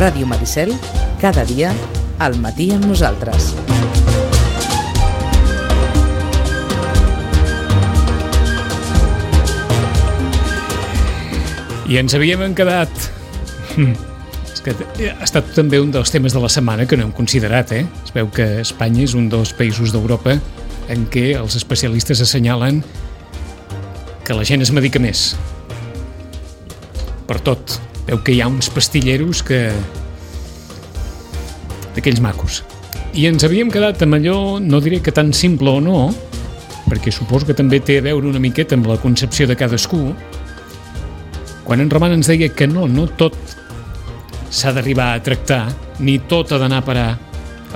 Ràdio Maricel, cada dia, al matí amb nosaltres. I ens havíem quedat... És que ha estat també un dels temes de la setmana que no hem considerat, Es veu que Espanya és un dels països d'Europa en què els especialistes assenyalen que la gent es medica més. Per tot. Veu que hi ha uns pastilleros que... d'aquells macos. I ens havíem quedat amb allò, no diré que tan simple o no, perquè suposo que també té a veure una miqueta amb la concepció de cadascú, quan en Roman ens deia que no tot s'ha d'arribar a tractar, ni tot ha d'anar a parar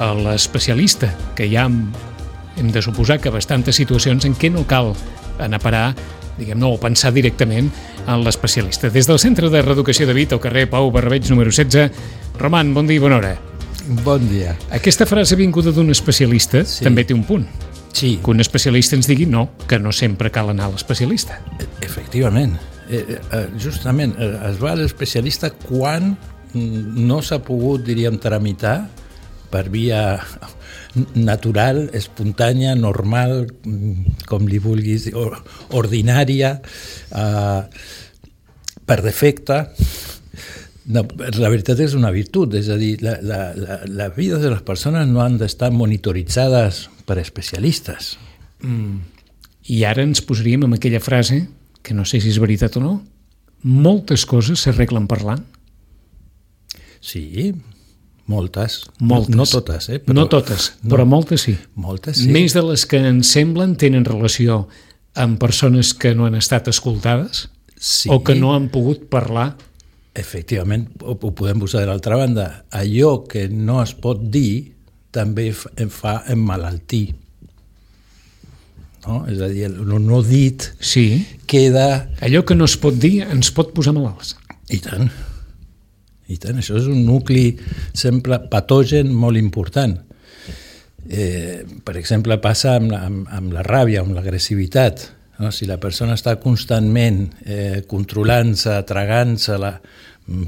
a l'especialista, que ja hem de suposar que bastantes situacions en què no cal anar a parar, diguem-ne, o pensar directament en l'especialista. Des del Centre de Reeducació de Vit, al carrer Pau Barrabeig, número 16. Roman, bon dia i bona hora. Bon dia. Aquesta frase vinguda d'un especialista també té un punt. Sí. Que un especialista ens digui que no sempre cal anar a l'especialista. Efectivament. Justament, es va a l'especialista quan no s'ha pogut, diríem, tramitar per via natural, espontània, normal, com li vulguis, ordinària, per defecte. No, la veritat és una virtut, és a dir, la vida de les persones no han d'estar monitoritzades per especialistes. I ara ens posaríem amb aquella frase, que no sé si és veritat o no, moltes coses s'arreglen parlant. Sí, moltes. Moltes. No totes, Però, no totes, però moltes sí. Moltes sí. Més de les que ens semblen tenen relació amb persones que no han estat escoltades o que no han pogut parlar. Efectivament, ho podem posar de l'altra banda. Allò que no es pot dir també em fa emmalaltir. No? És a dir, el no dit queda... Allò que no es pot dir ens pot posar malalts. I tant. I tant, això és un nucli sempre patogen molt important. Per exemple, passa amb la ràbia, amb l'agressivitat. No? Si la persona està constantment controlant-se, tragant-se-la,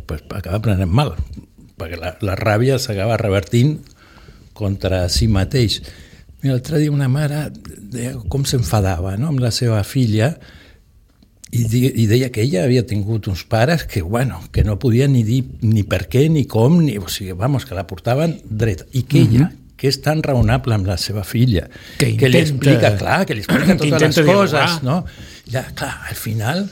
pues acaba prenent mal, perquè la ràbia s'acaba revertint contra si mateix. L'altre dia una mare deia com s'enfadava, no? Amb la seva filla, i deia que ella havia tingut uns pares que no podien ni dir ni per què, ni com, o sigui, que la portaven dreta. I que ella, que és tan raonable amb la seva filla, que li explica, que li explica totes les coses, no? Ja, clar, al final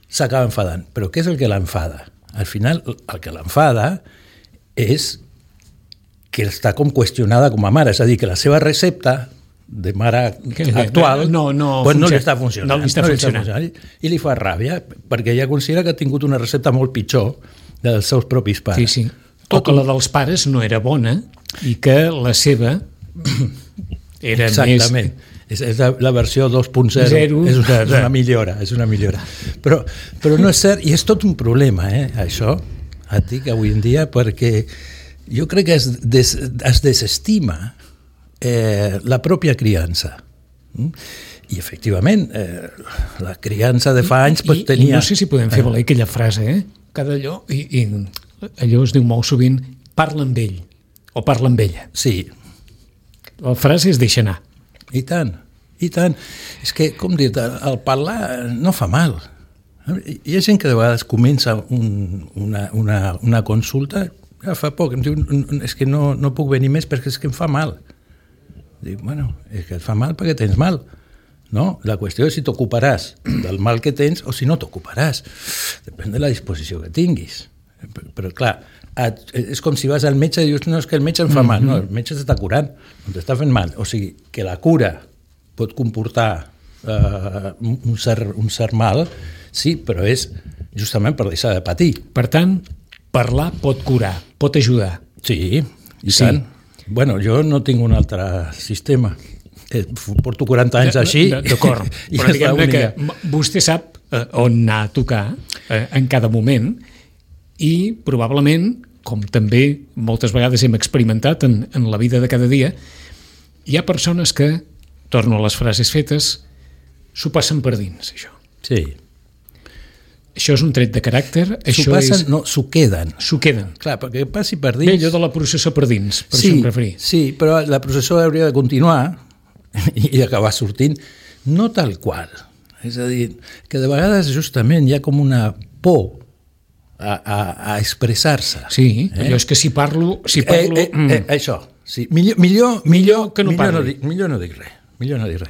s'acaba enfadant. Però què és el que l'enfada? Al final, el que l'enfada és que està com qüestionada com a mare, és a dir, que la seva recepta de mare actual no li està funcionant. I li fa ràbia, perquè ella considera que ha tingut una recepta molt pitjor dels seus propis pares. Sí. O que la dels pares no era bona i que la seva era Exactament. És la versió 2.0, és una millora. Però no és cert, i és tot un problema, això, Àtic, avui en dia, perquè jo crec que es desestima la pròpia criança. I efectivament, la criança de fa anys tenia... I no sé si podem fer valer aquella frase, cada allò, i allò es diu molt sovint, parla amb ell, o parla amb ella. Sí. La frase es deixa anar. I tant. És que, com dir-te, el parlar no fa mal. Hi ha gent que de vegades comença una consulta, fa poc, em diu, és que no puc venir més perquè és que em fa mal. Dic, és que et fa mal perquè tens mal. No? La qüestió és si t'ocuparàs del mal que tens o si no t'ocuparàs. Depèn de la disposició que tinguis. Però, clar, és com si vas al metge i dius, no, és que el metge em fa mal. No, el metge t'està curant, no t'està fent mal. O sigui, que la cura pot comportar un cert mal, sí, però és justament per deixar de patir. Per tant, parlar pot curar, pot ajudar. Sí, i tant. Bueno, jo no tinc un altre sistema. Porto 40 anys així. D'acord, però diguem-ne que vostè sap on anar a tocar en cada moment i probablement, com també moltes vegades hem experimentat en la vida de cada dia, hi ha persones que, torno a les frases fetes, s'ho passen per dins, això. Sí. Això és un tret de caràcter? S'ho passen, no, s'ho queden. S'ho queden. Clar, perquè passi per dins... Bé, allò de la processó per dins, per sí, això em referia. Sí, però la processó hauria de continuar i acabar sortint, no tal qual. És a dir, que de vegades justament hi ha com una por a expressar-se. Sí, allò és que si parlo... Això, sí. Millor que no parli. Millor no dic res.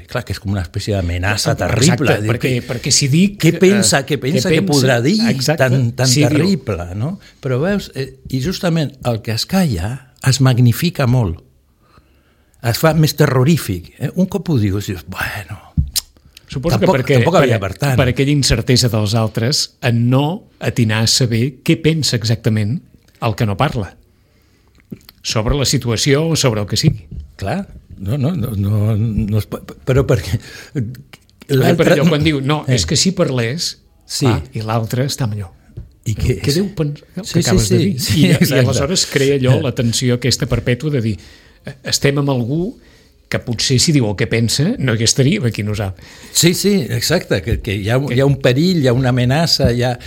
Clar, que és com una espècie d'amenaça terrible. Exacte, perquè si dic... Què pensa que podrà dir tan sí, terrible, no? Però veus, i justament el que es calla es magnifica molt. Es fa més terrorífic. Un cop ho dius, bueno... Suposo tampoc havia per tant. Per aquella incertesa dels altres en no atinar a saber què pensa exactament el que no parla sobre la situació o sobre el que sigui. Clar, no però perquè per allò quan diu, és que si parlés sí. I l'altre està millor. I què deu pensar que acabes de dir? Sí, I aleshores crea allò la tensió aquesta perpètua de dir estem amb algú que potser si diu el que pensa no hi estaríem aquí nosaltres. Sí, exacte, que hi ha un perill, hi ha una amenaça, hi ha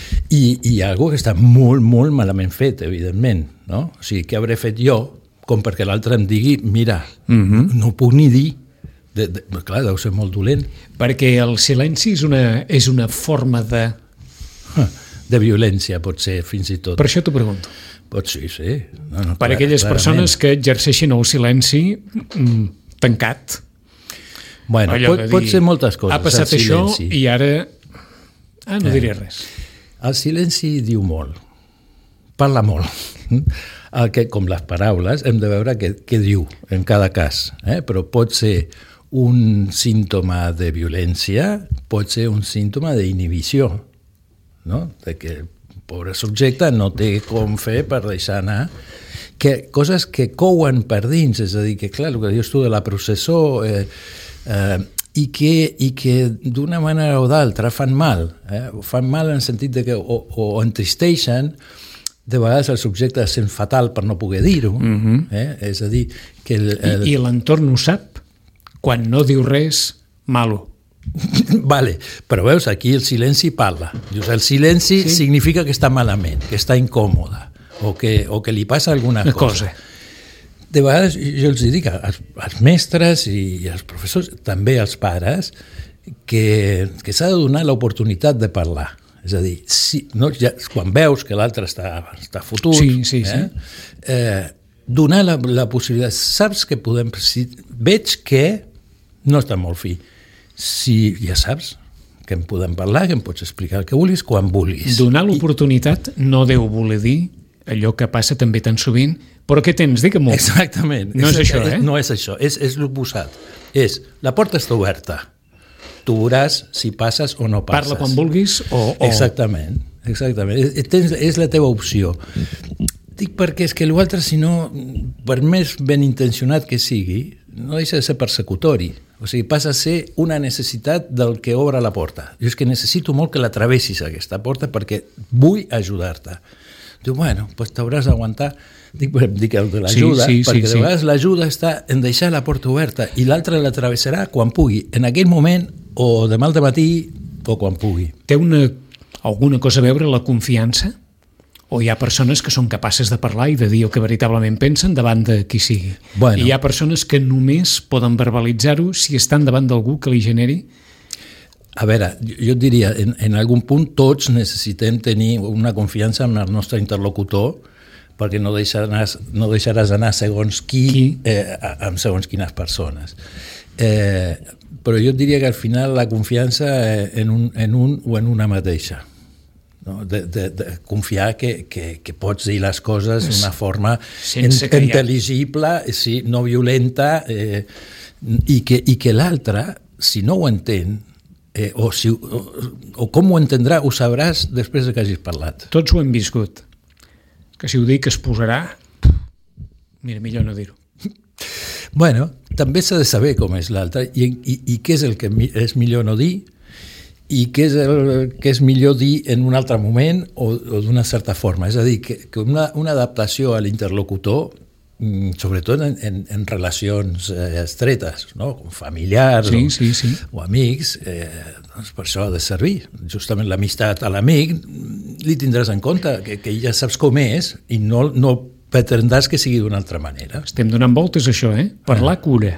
algú que està molt, molt malament fet, evidentment, no? O sigui, què hauré fet jo com perquè l'altre em digui, mira, no ho puc ni dir. Clar, deu ser molt dolent. Perquè el silenci és una forma de... De violència, pot ser, fins i tot. Per això t'ho pregunto. Pot ser, sí. Per aquelles persones que exerceixen el silenci tancat. Bueno, pot ser moltes coses. Ha passat això i ara... no diré res. El silenci diu molt. Parla molt. Com les paraules, hem de veure què diu en cada cas. Però pot ser un símptoma de violència, pot ser un símptoma d'inhibició, no? De que el pobre subjecte no té com fer per deixar anar coses que couen per dins, és a dir, que clar, el que dius tu de la processó i que d'una manera o d'altra fan mal en el sentit de que o entristeixen, de vegades el subjecte es sent fatal per no poder dir-ho, és a dir que I l'entorn ho sap quan no diu res malo. Vale, però veus, aquí el silenci parla. Dius, el silenci significa que està malament, que està incòmode, o que li passa alguna cosa. De vegades, jo els dic als mestres i als professors, també als pares, que s'ha de donar l'oportunitat de parlar. És a dir, quan veus que l'altre està fotut, donar la possibilitat. Saps que podem... Veig que no està molt fi. Si ja saps que en podem parlar, que em pots explicar el que vulguis quan vulguis. Donar l'oportunitat no deu voler dir allò que passa també tan sovint, però què tens? Digue-m'ho. Exactament. No és això, No és això, és l'oposat. La porta està oberta. Tu veuràs si passes o no passes. Parla quan vulguis o... Exactament. És la teva opció. Dic perquè és que l'altre, si no, per més ben intencionat que sigui, no deixa de ser persecutori. O sigui, passa a ser una necessitat del que obre la porta. Jo és que necessito molt que la travessis, aquesta porta, perquè vull ajudar-te. Diu, bueno, doncs t'hauràs d'aguantar. Dic el de l'ajuda, perquè de vegades l'ajuda està en deixar la porta oberta i l'altre la travessarà quan pugui, en aquell moment o demà al matí o quan pugui. Té alguna cosa a veure la confiança? O hi ha persones que són capaces de parlar i de dir el que veritablement pensen davant de qui sigui? Bueno. I hi ha persones que només poden verbalitzar-ho si estan davant d'algú que li generi? A veure, jo et diria, en algun punt tots necessitem tenir una confiança en el nostre interlocutor perquè no deixaràs anar segons qui? Amb segons quines persones. Però jo et diria que al final la confiança en un o en una mateixa. No? De confiar que pots dir les coses d'una forma intel·ligible, no violenta, i que l'altre, si no ho entén, o com ho entendrà, ho sabràs després que hagis parlat. Tots ho hem viscut. Que si ho dic es posarà... Mira, millor no dir-ho. Bueno, també s'ha de saber com és l'altre i què és el que és millor no dir i què és el que és millor dir en un altre moment o d'una certa forma. És a dir, que una adaptació a l'interlocutor sobretot en relacions estretes, no? Com familiars o amics, doncs per això ha de servir. Justament l'amistat a l'amic li tindràs en compte, que ja saps com és i no pretendràs que sigui d'una altra manera. Estem donant voltes a això, Parlar cura.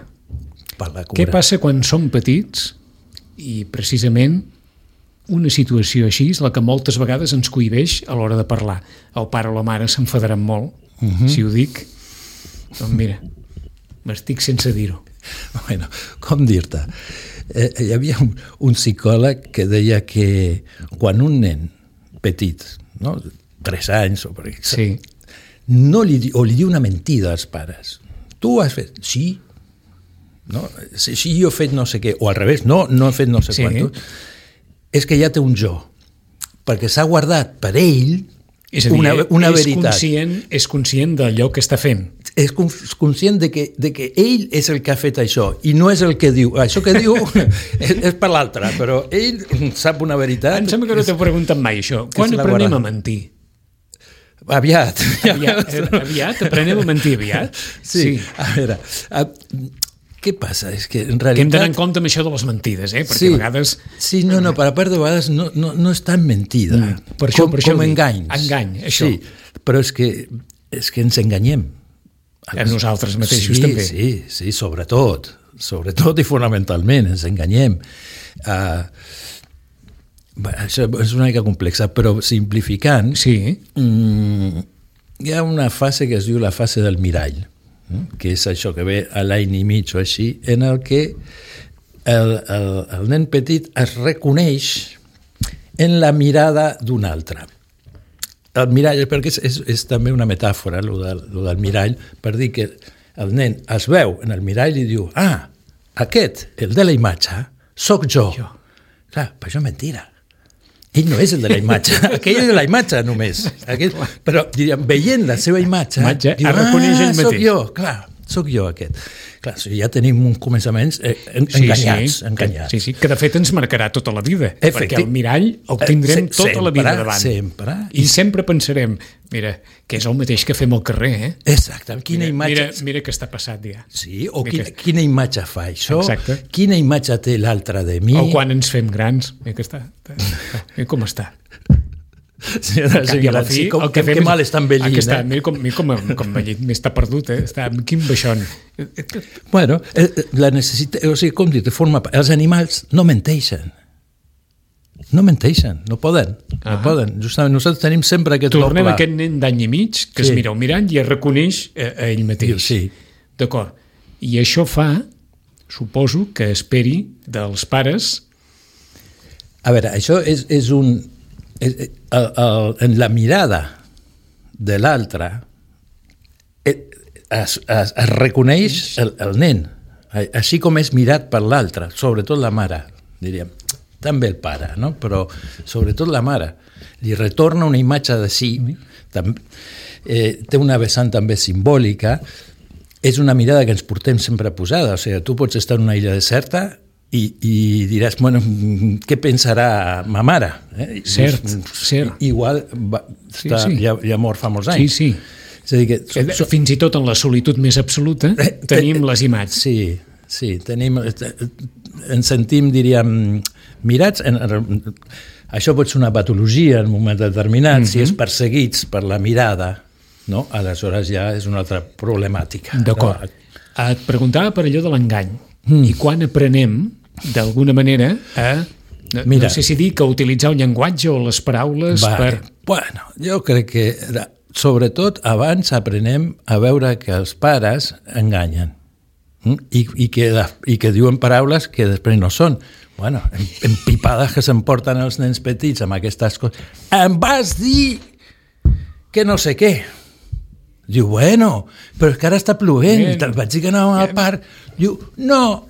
Què passa quan som petits i precisament una situació així és la que moltes vegades ens cohibeix a l'hora de parlar. El pare o la mare s'enfadaran molt si ho dic. Doncs mira, m'estic sense dir-ho. Bueno, com dir-te? Hi havia un psicòleg que deia que quan un nen petit, no? 3 anys o per exemple, li diu una mentida als pares. Tu has fet? Sí. No? Si jo he fet no sé què, o al revés, no he fet no sé quant, és que ja té un jo, perquè s'ha guardat per ell una veritat. És conscient d'allò que està fent. És conscient de que ell és el que ha fet això i no és el que diu. Això que diu és per l'altre, però ell sap una veritat. Em sembla que no t'he preguntat mai això. Quan aprenem a mentir? Aviat. Aviat? Aprenem a mentir aviat? Sí. A veure, què passa? És que en realitat... Que hem d'anar en compte amb això de les mentides, perquè a vegades... Sí, no, per a part de vegades no és tan mentida. Per això com enganys. Engany, això. Sí, però és que ens enganyem. A nosaltres mateixos també. Sí, sobretot i fonamentalment ens enganyem. Això és una mica complexa, però simplificant, hi ha una fase que es diu la fase del mirall, que és això que ve a l'any i mig o així, en el que el nen petit es reconeix en la mirada d'un altre. El mirall, perquè és també una metàfora, lo del mirall, per dir que el nen es veu en el mirall i diu, aquest, el de la imatge, sóc jo. Clar, però això és mentira. Ell no és el de la imatge, aquell és de la imatge només. Però, diríem, veient la seva imatge, diu, reconeix ell mateix. Soc jo aquest. Clar, ja tenim uns començaments enganyats. Sí, que de fet ens marcarà tota la vida, perquè el mirall el tindrem tota la vida davant. Sempre. I sempre pensarem, mira, que és el mateix que fem al carrer, Exacte, quina imatge... Mira que està passat ja. Sí, o quina imatge fa això, quina imatge té l'altre de mi... O quan ens fem grans, mira que està, mira com està. Sí, que mal està envellint. Mira com envellit, m'està perdut, està amb quin baixón. Bueno, la necessitat, o sigui, com dir, els animals no menteixen. No poden. Justament nosaltres tenim sempre aquest doble. Tornem a aquest nen d'any i mig que es mira al mirall i es reconeix a ell mateix. Sí. D'acord. I això fa, suposo, que esperi dels pares... A veure, això és un... en la mirada de l'altre es reconeix el nen, així com és mirat per l'altre, sobretot la mare, diríem, també el pare, no? Però sobretot la mare li retorna una imatge de si, té una vessant també simbòlica, és una mirada que ens portem sempre posada, o sigui, tu pots estar en una illa deserta i diràs, bueno, què pensarà ma mare? Cert. Igual ja mort fa molts anys. Sí. És a dir que, fins i tot en la solitud més absoluta tenim les imatges. Sí, ens sentim, diríem, mirats. Això pot ser una patologia en un moment determinat, si és perseguits per la mirada, no? Aleshores ja és una altra problemàtica. D'acord. Et preguntava per allò de l'engany. I quan aprenem, d'alguna manera, no sé si dir que utilitzar un llenguatge o les paraules Bueno, jo crec que sobretot abans aprenem a veure que els pares enganyen i que diuen paraules que després no són. Bueno, empipades que s'emporten els nens petits amb aquestes coses. Em vas dir que no sé què. Diu, bueno, però és que ara està plovent, te'l vaig dir que anàvem al parc. Diu, no,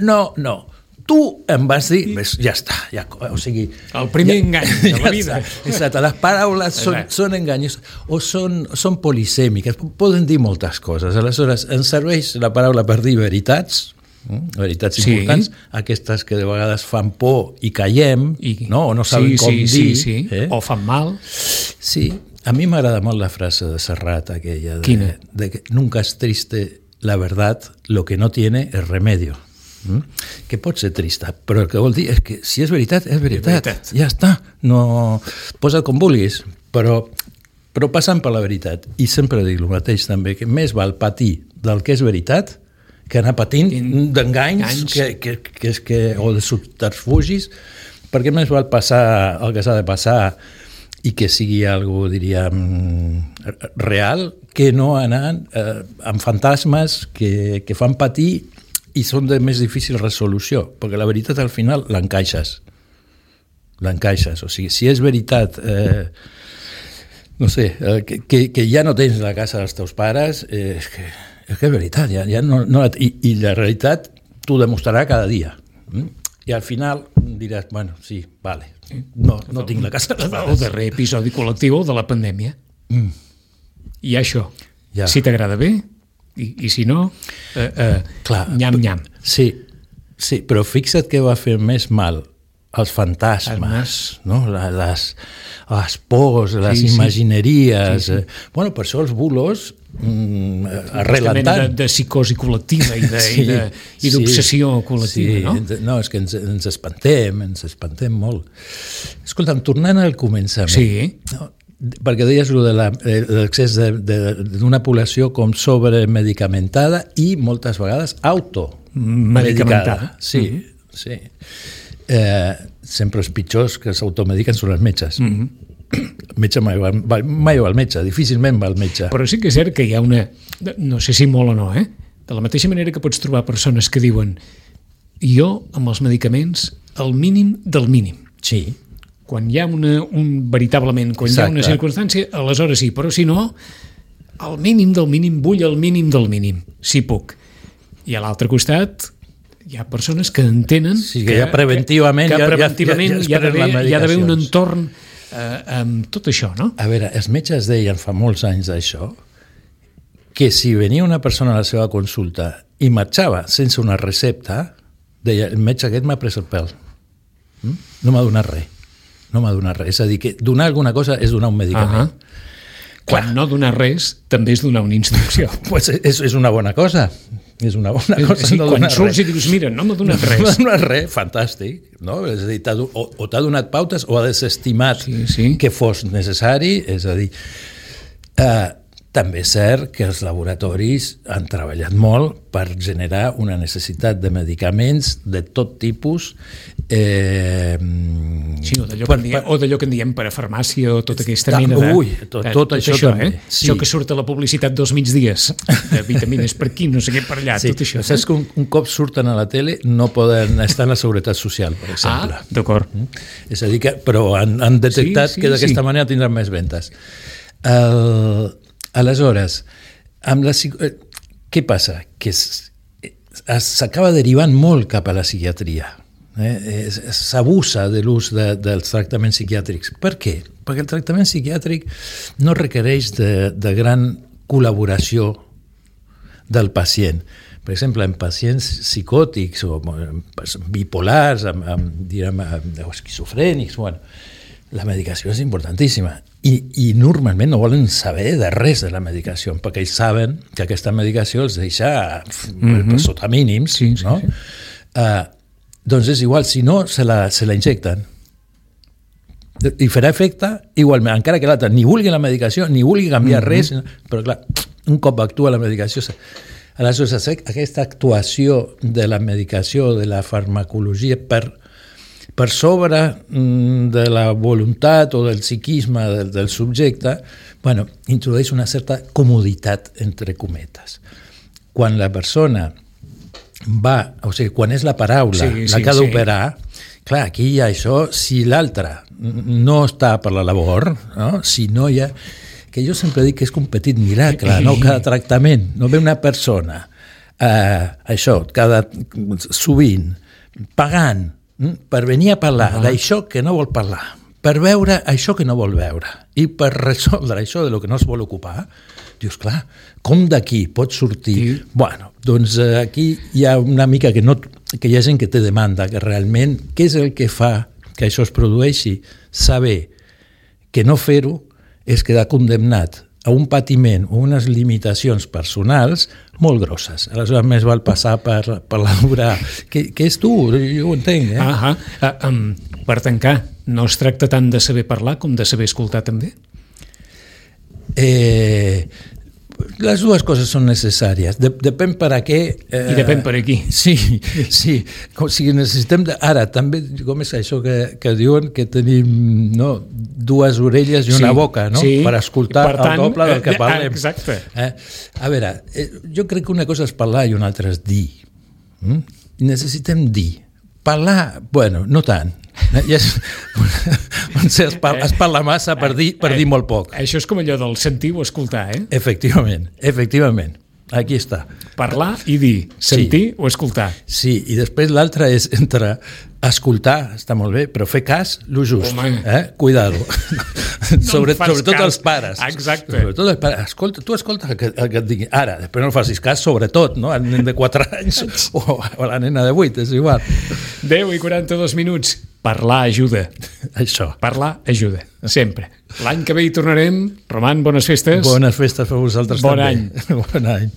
tu em vas dir, ja està, o sigui... El primer engany de la vida. Exacte, les paraules són enganyos, o són polisèmiques, poden dir moltes coses. Aleshores, ens serveix la paraula per dir veritats importants, aquestes que de vegades fan por i caiem, o no sabem com dir. O fan mal. Sí. A mi m'agrada molt la frase de Serrat, aquella de que nunca es triste la verdad, lo que no tiene es remedio. Que pot ser trista, però el que vol dir és que si és veritat, és veritat. Ja està, no... Posa't com vulguis, però passant per la veritat. I sempre dic el mateix també, que més val patir del que és veritat que anar patint d'enganys o de subterfugis, perquè més val passar el que s'ha de passar i que sigui algo, diríem, real, que no anar amb fantasmes que fan patir i són de més difícil resolució, perquè la veritat al final l'encaixes. O sigui, si és veritat, no sé, que ja no tens la casa dels teus pares, és que és veritat, ja no, i la realitat t'ho demostrarà cada dia. I al final diràs, bueno, sí, vale, no tinc la casa dels pares. El darrer episodi col·lectiu de la pandèmia. I això, si t'agrada bé, i si no, nyam-nyam. Sí, però fixa't que va fer més mal els fantasmes, no? les pors, les imagineries. Bueno, per això els bulos arrelen tant. De psicosi col·lectiva i d'obsessió col·lectiva, no? No, és que ens espantem molt. Escolta'm, tornant al començament. Sí. No? Perquè deies de l'excés d'una població com sobremedicamentada i moltes vegades automedicada. Sí. Sempre els pitjors que s'automediquen són els metges. El metge mai va al metge, difícilment va al metge. Però sí que és cert que hi ha una... No sé si molt o no, de la mateixa manera que pots trobar persones que diuen jo, amb els medicaments, el mínim del mínim. Sí. Quan hi ha veritablement, quan hi ha una circumstància, aleshores sí, però si no, al mínim del mínim, vull el mínim del mínim, si puc. I a l'altre costat hi ha persones que entenen que ja preventivament hi ha d'haver un entorn amb tot això, no? A veure, els metges deien fa molts anys d'això, que si venia una persona a la seva consulta i marxava sense una recepta, deia, el metge aquest m'ha pres el pèl. No m'ha donat res. És a dir, que donar alguna cosa és donar un medicament. Quan no donar res, també és donar una instrucció. Pues és una bona cosa. És una bona cosa. Sí, quan surts i dius, mira, no m'ha donat res. No m'ha donat res, fantàstic. No? És a dir, o t'ha donat pautes o ha desestimat que fos necessari. És a dir, també és cert que els laboratoris han treballat molt per generar una necessitat de medicaments de tot tipus. O d'allò que en diem parafarmàcia o tota aquesta mena de... Tot això també. Això que surt a la publicitat dels migdies, de vitamines per aquí, no sé què per allà, tot això. Saps que un cop surten a la tele no poden estar en la Seguretat Social, per exemple. D'acord. És a dir, però han detectat que d'aquesta manera tindran més ventes. Aleshores, què passa? Que s'acaba derivant molt cap a la psiquiatria. S'abusa de l'ús dels tractaments psiquiàtrics. Per què? Perquè el tractament psiquiàtric no requereix de gran col·laboració del pacient. Per exemple, en pacients psicòtics o bipolars, o esquizofrènics, la medicació és importantíssima i normalment no volen saber de res de la medicació perquè ells saben que aquesta medicació els deixa sota mínims, no? Doncs és igual, si no, se la injecten i farà efecte igualment, encara que l'altre ni vulgui la medicació ni vulgui canviar res, però clar, un cop actua la medicació. Aleshores, aquesta actuació de la medicació, de la farmacologia per sobre de la voluntat o del psiquisme del subjecte, introdueix una certa comoditat, entre cometes. Quan la persona quan és la paraula la que ha d'operar, clar, aquí hi ha això, si l'altre no està per la labor, no? Si no hi ha... Que jo sempre dic que és un petit miracle, no? Cada tractament, no ve una persona, sovint, pagant, per venir a parlar d'això que no vol parlar, per veure això que no vol veure i per resoldre això de lo que no es vol ocupar, dius, clar, com d'aquí pot sortir? Bueno, doncs aquí hi ha una mica que hi ha gent que té demanda, que realment, què és el que fa que això es produeixi? Saber que no fer-ho és quedar condemnat a un patiment o unes limitacions personals molt grosses. Aleshores, més val passar per la dura... Què és tu? Jo ho entenc, Per tancar, no es tracta tant de saber parlar com de saber escoltar, també? Les dues coses són necessàries. Depèn per a què... I depèn per a qui. Sí. O sigui, necessitem... Ara, també, com és això que diuen que tenim dues orelles i una boca, no? Per escoltar el doble del que parlem. Exacte. A veure, jo crec que una cosa és parlar i una altra és dir. Necessitem dir. Parlar, bueno, no tant. Es parla massa per dir molt poc. Això és com allò del sentir o escoltar, Efectivament. Aquí està. Parlar i dir, sentir o escoltar. Sí, i després l'altre és entre escoltar, està molt bé, però fer cas, lo just. Cuidado. Sobretot els pares. Exacte. Sobretot els pares. Escolta, tu escolta el que et digui. Ara, després no facis cas, sobretot, no? El nen de 4 anys o la nena de 8, és igual. 10:42 minuts. Parlar ajuda. Això. Parlar ajuda, sempre. L'any que ve hi tornarem. Roman, bones festes. Bones festes per vosaltres també. Bon any. Bon any.